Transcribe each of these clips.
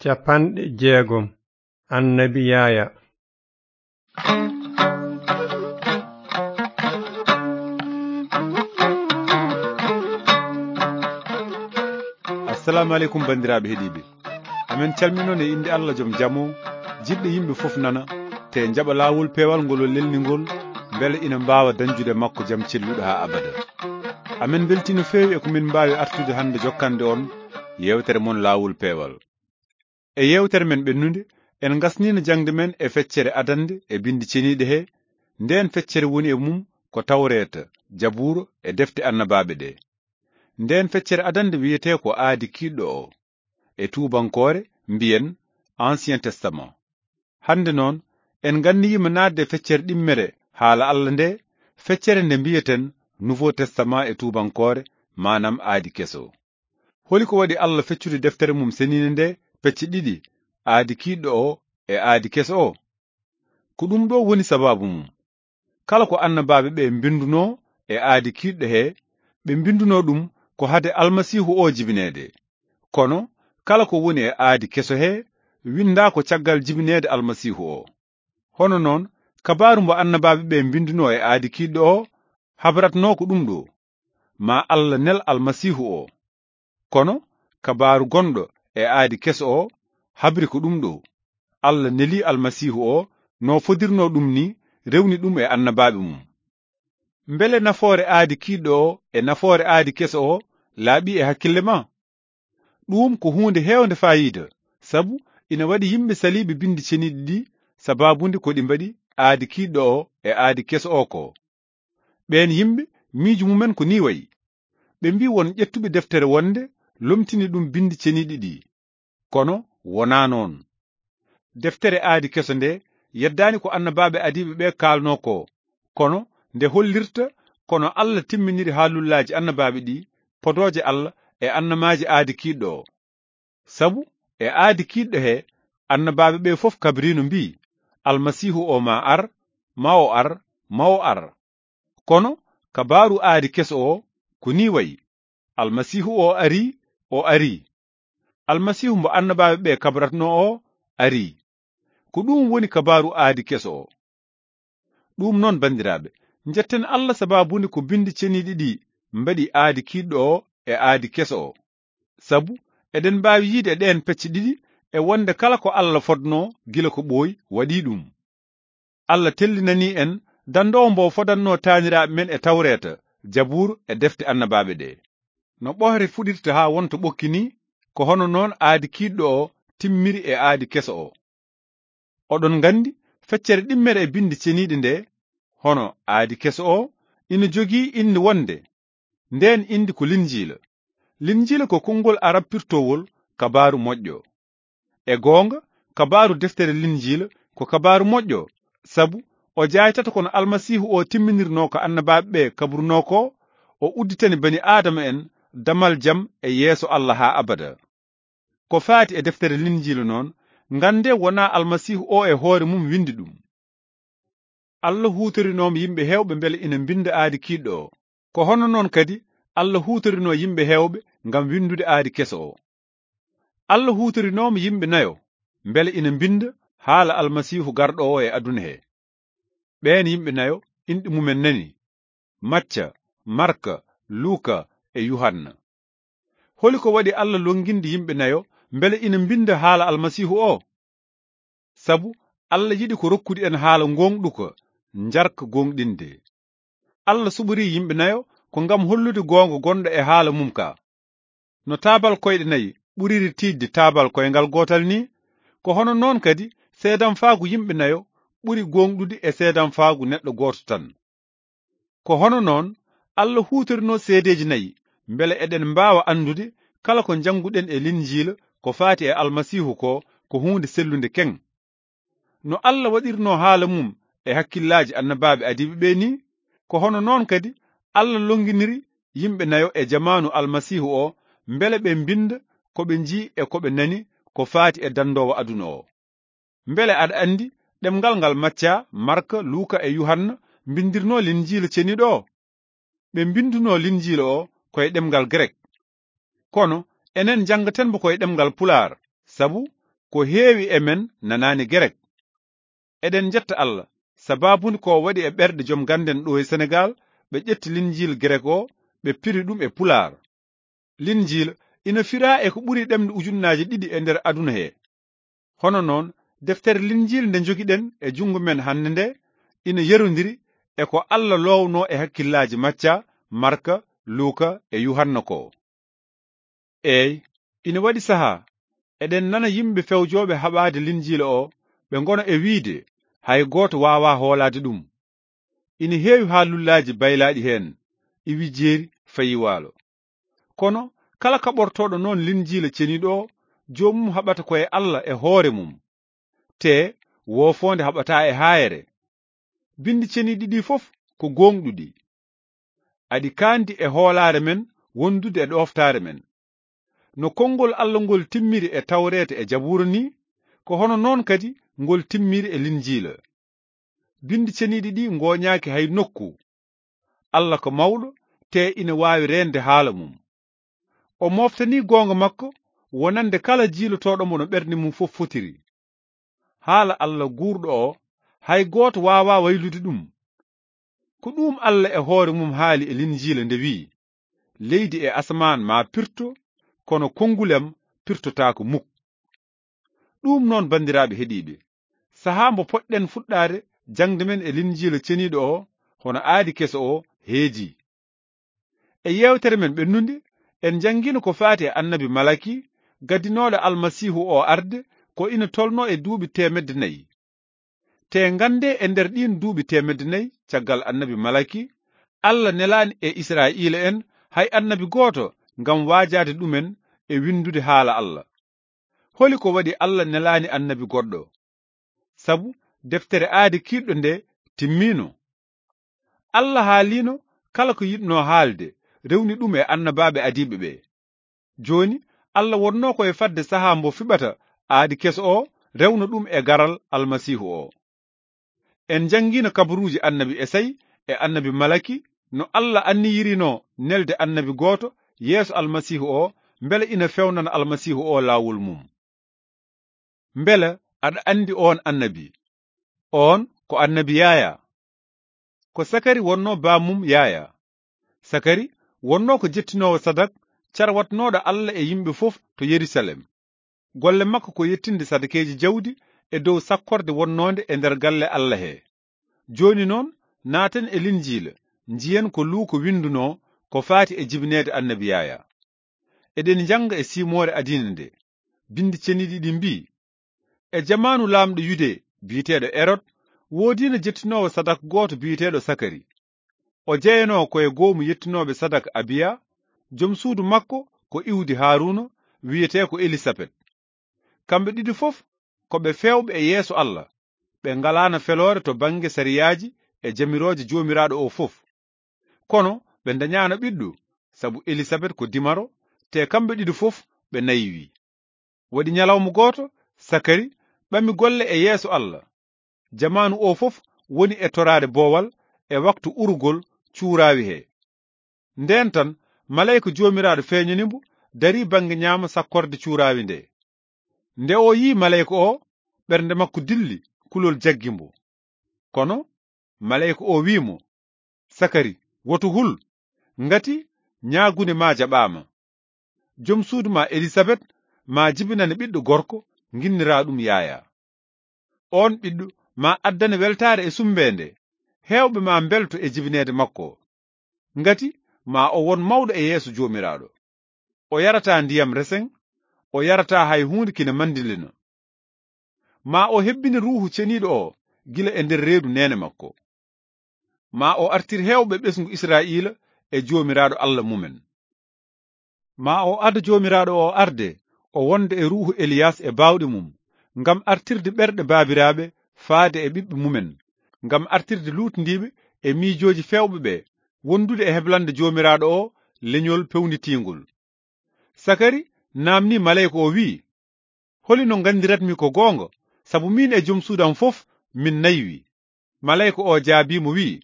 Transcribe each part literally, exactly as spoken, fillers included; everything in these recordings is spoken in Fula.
Capanɗe jeegom. Annabi Yaaya. Assalamu aleykum, banndiraaɓe heɗiiɓe. Amen calminon e innde Allah joom jam o, jiɗɗo yimɓe fof nana, te njaɓa laawol peewal ngol o lelni ngol, mbele ina mbaawa dañjude makko jam celluɗo haa abada. Amen mbeltii no feewi e ko min mbaawi artude hannde jokkande on yeewtere mon laawol peewal. E yeewtere men ɓennunde, en ngasniino jaŋde men e feccere adannde e binndi ceniiɗe he, ndeen feccere woni e mum ko Tawreeta, Jabuura e defte annabaaɓe ɗe. Ndeen feccere adannde wiyetee ko Aadi Kiiɗɗo o, e tuubankoore mbiyen Ancien Testament. Hannde noon, en nganniyiima naatde e feccere ɗimmere haala Allah nde, feccere nde mbiyeten Nouveau Testament e tuubankoore, maanaam Aadi Keso. Holi ko waɗi Allah feccude deftere mum seniinde nde pecce ɗiɗi, Aadi Kiiɗɗo o e Aadi Keso o? Ko ɗum ɗo woni sabaabu mum. Kala ko annabaaɓe ɓe mbinndunoo e Aadi Kiiɗɗo he, ɓe mbinndunoo ɗum ko hade Almasiihu o jibineede. Kono kala ko woni e Aadi Keso he, winndaa ko caggal jibineede Almasiihu o. Hono noon, kabaaru mbo annabaaɓe ɓe mbinndunoo e Aadi Kiiɗɗo o, habratnoo ko ɗum ɗo, ma Allah nel Almasiihu o. Kono kabaaru gonɗo e Aadi Keso o habri ko ɗum ɗo, Allah neli Almasiihu o no fodirnoo ɗum ni, rewni ɗum e annabaaɓe mum. Mbele nafoore Aadi Kiiɗɗo o e nafoore Aadi Keso o laaɓii e hakkille ma? Ɗuum ko huunde heewnde faayiida, sabu ina waɗi yimɓe saliiɓe binndi ceniiɗi ɗi, sabaabu nde ko ɗi mbaɗi Aadi Kiiɗɗo o e Aadi Keso o ko. Ɓeen yimɓe, miijo mumen ko nii wayi. Ɓe mbii won ƴettuɓe deftere wonde lomtini ɗum binndi ceniiɗi ɗi. Kono wonaa noon. Deftere Aadi Keso nde yeddaani ko annabaaɓe adiiɓe ɓe kaalnoo ko, kono nde hollirta kono Allah timminiri haalullaaji annabaaɓe ɗi, podooje Allah e annamaaji Aadi Kiiɗɗo o. Sabu e Aadi Kiiɗɗo he, annabaaɓe ɓe fof kabriino mbii, Almasiihu o ma ar, ma o ar, ma o ar. Kono kabaaru Aadi Keso o ko nii wayi, Almasiihu o arii, o arii. Almasiihu mbo annabaaɓe ɓe kabratnoo o arii. Ko ɗum woni kabaaru Aadi Keso o. Ɗum noon, banndiraaɓe, njetten Allah sabaabu nde ko binndi ceniiɗi ɗi mbaɗi Aadi Kiiɗɗo o e Aadi Keso o. Sabu eɗen mbaawi yiyde e ɗeen pecce ɗiɗi e wonde kala ko Allah fodnoo gila ko ɓooyi waɗii ɗum. Allah tellinanii en dandoowo mbo fodannoo taaniraaɓe men e Tawreeta, Jabuur e defte annabaaɓe ɗe. No ɓohre fuɗirta haa wonta ɓokki ni, ko hono noon Aadi Kiiɗɗo o timmiri e Aadi Keso o. Oɗon nganndi, feccere ɗimmere e binndi ceniiɗi nde, hono Aadi Keso o, ina jogii innde wonde. Ndeen innde ko Linjiila. Linjiila ko konngol Arab pirtowol kabaaru moƴƴo. E goonga, kabaaru deftere Linjiila ko kabaaru moƴƴo, sabu o jaaytata kono Almasiihu o timminirnoo ko annabaaɓe ɓe kabrunoo ko, o udditani bani Aadama en damal jam e yeeso Allah haa abada. Ko faati e deftere Linjiila noon, nganndee wonaa Almasiihu o e hoore mum winndi ɗum. Allah huutorinooma yimɓe heewɓe mbele ina mbinnda Aadi Kiiɗɗo o. Ko hono noon kadi Allah huutorinoo yimɓe heewɓe ngam winndude Aadi Keso o. Allah huutorinooma yimɓe nayo mbele ina mbinnda haala Almasiihu garɗo o e aduna he. Ɓeen yimɓe nayo, inɗe mumen nani: Macca, Marka, Luuka e Yuhanna. Holi ko waɗi Allah lonnginde yimɓe nayo mbele ina mbinnda haala Almasiihu o? Sabu Allah yiɗi ko rokkude en haala ngooŋɗuka, njarka gooŋɗinde. Allah suɓorii yimɓe nayo ko ngam hollude goonga gonɗo e haala mum ka. No taabal koyɗe nayi ɓuriri tiiɗde taabal koyngal gootal ni, ko hono noon kadi seedamfaagu yimɓe nayo ɓuri gooŋɗude e seedamfaagu neɗɗo gooto tan. Ko hono noon Allah huutorinoo seedeeji nayi, mbele eɗen mbaawa anndude kala ko njannguɗen e Linjiila ko faati e Almasiihu ko, ko huunde sellunde keŋ. No Allah waɗirnoo haala mum e hakkillaaji annabaaɓe adiiɓe ɓe ni, ko hono noon kadi Allah lonnginiri yimɓe nayo e jamaanu Almasiihu o, mbele ɓe mbinnda ko ɓe nji e ko ɓe nani ko faati e dandoowo aduna o. Mbele aɗa anndi ɗemngal ngal Macca, Marka, Luuka e Yuhanna mbinndirnoo Linjiila Ceniiɗo o? Ɓe mbinndunoo Linjiila o ko e ɗemngal Grek. Kono enen njanngaten mbo ko e ɗemngal Pulaar, sabu ko heewi e men nanaani Gerek. Eɗen njetta Allah, sabaabu nde ko waɗi e ɓerɗe joom gannden ɗo e Senegaal, ɓe ƴetti Linjiila Gerek o, ɓe piri ɗum e Pulaar. Linjiila ina firaa e ko ɓuri ɗemɗe ujunnaaje ɗiɗi e nder aduna he. Hono noon, deftere Linjiila nde njogiɗen e junngo men hannde nde, ina yerondiri e ko Allah loownoo e hakkillaaji Macca, Marka, Luuka e Yuhanna ko. Eey, ina waɗi sahaa, eɗen nana yimɓe fewjooɓe haɓaade Linjiila o, ɓe ngona e wiyde, hay gooto waawaa hoolaade ɗum. Ina heewi haalullaaji baylaaɗi heen, iwi jeeri, fayi waalo. Kono kala kaɓortooɗo noon Linjiila Ceniiɗo o, joomum haɓata ko e Allah e hoore mum. Te woofoonde haɓataa e haayre. Binndi ceniiɗi ɗi fof ko gooŋɗuɗi. Aɗi kaandi e hoolaare men wondude e ɗooftaare men. No konngol Allah ngol timmiri e Tawreeta e Jabuura ni, ko hono noon kadi ngol timmiri e Linjiila. Binndi ceniiɗi ɗi ngooñaaki hay nokku. Allah ko mawɗo, te ina waawi reende haala mum. O mooftanii goonga makko wonande kala jiilotooɗo mo no ɓernde mum fof fotiri. Haala Allah guurɗo o, hay gooto waawaa waylude ɗum. Ko ɗum Allah e hoore mum haali e Linjiila nde wiyi, "Leydi e asamaan maa pirto, kono konnguli am pirtotaako muk." Ɗum noon, banndiraaɓe heɗiiɓe, sahaa mbo poɗɗen fuɗɗaade jaŋde men e Linjiila Ceniiɗo o, hono aadi keso o, heedii. E yeewtere men ɓennunde, en njanngiino ko faati e annabi Malaki, gaddinooɗo Almasiihu o arde, ko ina tolnoo e duuɓi teemedde nayi. Te nganndee, e nder ɗiin duuɓi teemedde nayi caggal annabi Malaki, Allah nelaani e Israa'iila en hay annabi gooto ngam waajaade ɗumen e winndude haala Allah. Holi ko waɗi Allah nelaani annabi goɗɗo? Sabu deftere aadi kiiɗɗo nde timmiino. Allah haaliino kala ko yiɗnoo haalde, rewni ɗum e annabaaɓe adiiɓe ɓe. Jooni, Allah wonnoo ko e fadde sahaa mbo fiɓata aadi keso o, rewna ɗum e garal Almasiihu o. En njanngiino kabaruuji annabi Esay e annabi Malaki, no Allah anniyirino nelde annabi gooto yeeso Almasiihu o, mbele ina fewnana Almasiihu o laawol mum. Mbele aɗa anndi oon annabi? Oon ko annabi Yaya. Ko Sakari wonnoo baamum Yaya. Sakari wonnoo ko jettinoowo sadak, carwatnooɗo Allah e yimɓe fof to Yerusalem. Golle makko ko yettinde sadakeeji jawdi e dow sakkorde wonnoonde e nder galle Allah he. Jooni noon, naaten e Linjiila, njiyen ko Luuka winndunoo ko faati e jibineede annabi Yaya. Eɗen njannga e siimoore adiina nde, binndi ceniiɗi ɗi mbii, e jamaanu laamɗo Yude biyeteeɗo Erod, woodiino jettinoowo sadak gooto biyeteeɗo Sakari. O jeyanoo ko e goomu yettinooɓe sadak Abiya, jom suudu makko ko iwdi Haaruuna, wiyetee ko Elisabet. Kamɓe ɗiɗi fof ko ɓe feewɓe e yeeso Allah, ɓe ngalaano feloore to bannge sariyaaji e jamirooje Joomiraaɗo o fof. Kono ɓe ndañaano ɓiɗɗo, sabu Elisabet ko dimaro, te kamɓe ɗiɗi fof ɓe naywii. Waɗi ñalawma gooto, Sakari ɓami golle e yeeso Allah. Jamaanu o fof woni e toraade boowal e waktu urugol cuuraawi he. Ndeen tan, maleyka Joomiraaɗo feeñani mbo, darii bannge ñaamo sakkorde cuuraawi nde. Nde o yii maleyka o, ɓernde makko dilli, kulol jaggi mbo. Kono maleyka o wiyi mo, "Sakari, woto hul, ngati ñaagunde ma jaɓaama. Jom suudu ma Elisabet ma jibinane ɓiɗɗo gorko, nginnira ɗum Yaya. Oon ɓiɗɗo ma addane weltaare e sumbeende, heewɓe ma mbelto e jibineede makko. Ngati ma o won mawɗo e yeeso Joomiraaɗo. O yarataa ndiyam resen, o yarataa hay huunde kina manndilina. Ma o hebbine Ruuhu Ceniiɗo o gila e nder reedu neene makko. Ma o artir heewɓe ɓesngu Israa'iila e Joomiraaɗo Allah mumen. Ma o ado Joomiraaɗo o arde, o wonda e ruuhu Eliyas e baawɗe mum, ngam artirde ɓerɗe baabiraaɓe faade e ɓiɓɓe mumen, ngam artirde luutndiiɓe e miijooji feewɓe ɓe, wondude e heblande Joomiraaɗo o leñol pewnitiingol." Sakari naamnii maleyka o, wi'i, "Holi no nganndiratmi ko goonga, sabu miin e jom suudu am fof min naywi?" Maleyka o jaabii mo, wi'i,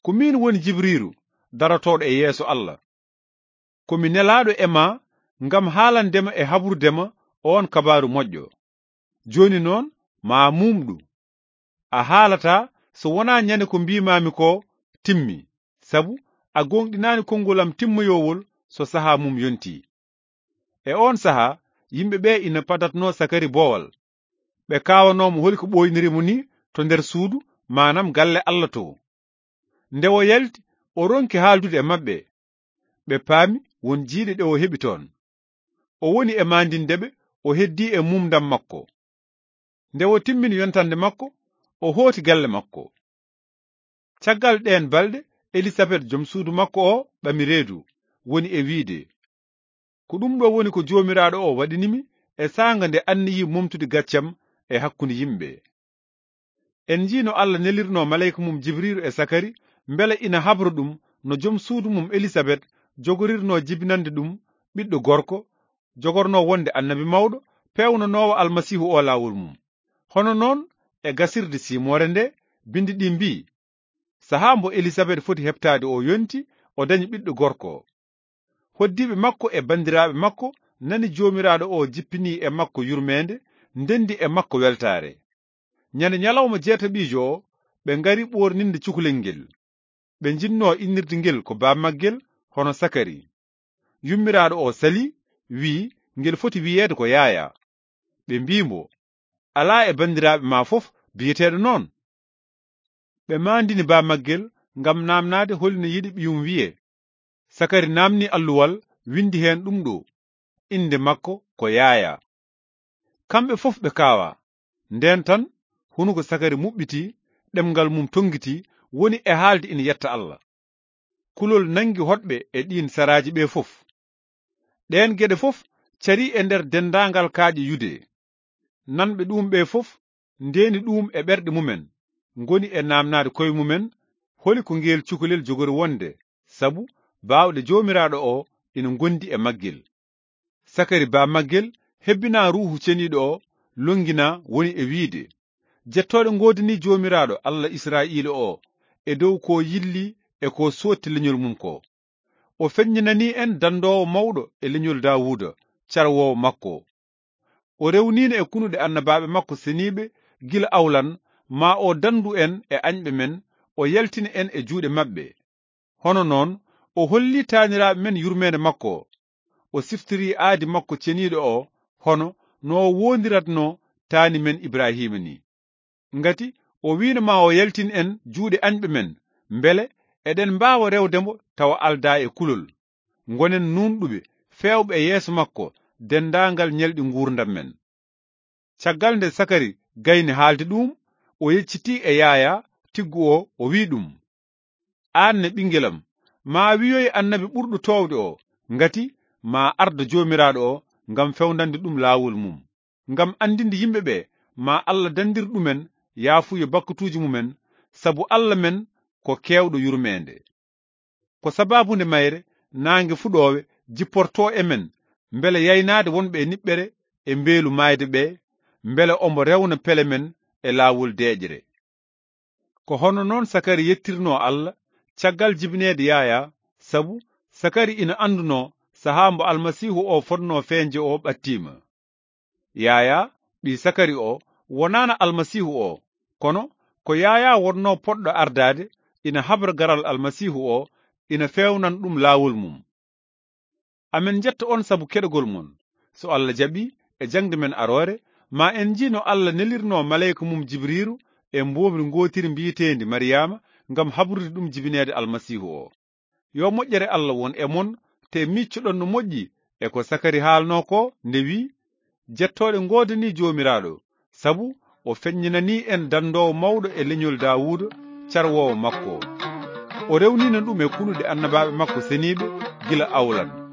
"Ko miin woni Jibriiru, darotooɗo e yeeso Allah. Ko mi nelaaɗo e ma ngam haalande ma e haɓrude ma oon kabaaru moƴƴo. Jooni noon, maa muumɗu. A haalataa so wonaa ñande ko mbiimaami ko timmi, sabu a gooŋɗinaani konngol am timmoyoowol so sahaa mum yontii. E oon sahaa, yimɓe ɓee ina padatnoo Sakari boowal. Ɓe kaawanoo mo holi ko ɓooyniri mo nii to nder suudu, maanam galle Alla too. Nde o yalti, o ronki haaldude e maɓɓe. Ɓe paami won jiyɗe ɗe o heɓi toon. O woni e maandinde ɓe, o heddii e mumdam makko. Nde o timmini yontande makko, o hooti galle makko. Caggal ɗeen balɗe, Elisabet, jom suudu makko o, ɓami reedu, woni e wiide, "Ko ɗum ɗo woni ko Joomiraaɗo o waɗini mi e saanga nde anniyii momtude gaccam e hakkunde yimɓe." En njii no Alla nelirnoo maleyka mum Jibriilu e Sakari, mbele ina habra ɗum no jom suudu mum Elisabet jogorirnoo jibinande ɗum ɓiɗɗo gorko, jogornoo wonde annabi mawɗo, peewnanoowo Almasiihu o laawol mum. Hono noon, e gasirde siimoore nde, binndi ɗi mbii, sahaa mbo Elisabet foti heɓtaade o yonti, o dañi ɓiɗɗo gorko. Hoddiiɓe makko e banndiraaɓe makko nani Joomiraaɗo o jippinii e makko yurmeende, ndenndi e makko weltaare. Ñande ñalawma jeetaɓiijo o, ɓe ngari ɓoorninde cukalel ngel. Ɓe njinnoo innirde ngel ko baamaggel, hono Sakari. Yummiraaɗo o salii, wiyi ngel foti wiyeede ko Yaayaa. Ɓe mbii mbo, "Alaa e banndiraaɓe ma fof biyeteeɗo noon." Ɓe maandini baamaggel ngam naamnaade holi no yiɗi ɓiyum wiyee. Sakari naamnii alluwal, winndi heen ɗum ɗo, "Innde makko ko Yaayaa." Kamɓe fof ɓe kaawaa. Ndeen tan, hunuko Sakari muɓɓitii, ɗemngal mum tonngitii, woni e haalde ina yetta Alla. Kulol nanngi hoɗɓe e ɗiin saraaji ɓe fof. Ɗeen geɗe fof carii e nder denndaangal kaaƴe Yude. Nanɓe ɗuum ɓe fof ndeeni ɗuum e ɓerɗe mumen, ngoni e naamnaade koye mumen, holi ko ngeel cukalel jogori wonde, sabu baawɗe Joomiraaɗo o ina ngondi e maggel. Sakari baamaggel hebbinaa Ruuhu Ceniiɗo o, lonnginaa, woni e wiide, "Jettooɗe ngoodanii Joomiraaɗo Alla Israa'iila o e dow ko yilli e ko sootti leñol mum ko. O feññinanii en danndoowo mawɗo e leñol Daawuuda, carwoowo makko. O rewniino e kunuɗe annabaaɓe makko seniiɓe gila awlan, ma o danndu en e añɓe men, o yaltina en e juuɗe maɓɓe. Hono noon, o hollii taaniraaɓe men yurmeende makko. O siftorii aadi makko ceniiɗo o, hono no o woondiratnoo taani men Ibrahiima ni. Ngati o wiino ma o yaltin en juuɗe añɓe men, mbele eɗen mbaawa rewde mbo tawa aldaa e kulol. Ngonen nuunɗuɓe, feewɓe e yeeso makko denndaangal ñalɗi nguurndam men." Caggal nde Sakari gayni haalde ɗuum, o yeccitii e Yaayaa tiggu o, o wi'i ɗum, "Aan ne, ɓinngel am, maa wiyoy annabi ɓurɗo toowde o, ngati maa ardo Joomiraaɗo o ngam fewndande ɗum laawol mum, ngam anndinde yimɓe ɓe, maa Alla danndir ɗumen yaafuye bakkatuuji mumen, sabu Alla men ko keewɗo yurmeende. Ko sabaabu nde mayre naange fuɗoowe jipportoo e men, mbele yaynaade wonɓe e niɓɓere e mbeelu maayde ɓe, mbele ombo rewna pele men e laawol deeƴre." Ko hono noon Sakari yettirnoo Alla caggal jibineede Yaayaa, sabu Sakari ina anndunoo sahaa mbo Almasiihu o fotnoo feeñde o ɓattiima. Yaayaa, ɓii Sakari o, wonaana Almasiihu o, kono ko Yaayaa wonnoo poɗɗo ardaade, ina habra garal Almasiihu o, ina feewnan ɗum laawol mum. Amen njetta on sabu keɗogol mon. So Alla jaɓii, e jaŋde men aroore, ma en njii no Alla nelirnoo maleyka mum Jibriiru e mboomri ngootiri mbiyeteendi Mariyaama ngam habrude ɗum jibineede Almasiihu o. Yo moƴƴere Alla won e mon, te miiccoɗon no moƴƴi e ko Sakari haalnoo ko nde wi'i, "Jettooɗe ngoodanii Joomiraaɗo, sabu o feññinanii en danndoowo mawɗo e leñol Daawuuda, carwoowo makko. O rewniino ɗum e kunuɗe annabaaɓe makko seniiɓe gila awlan."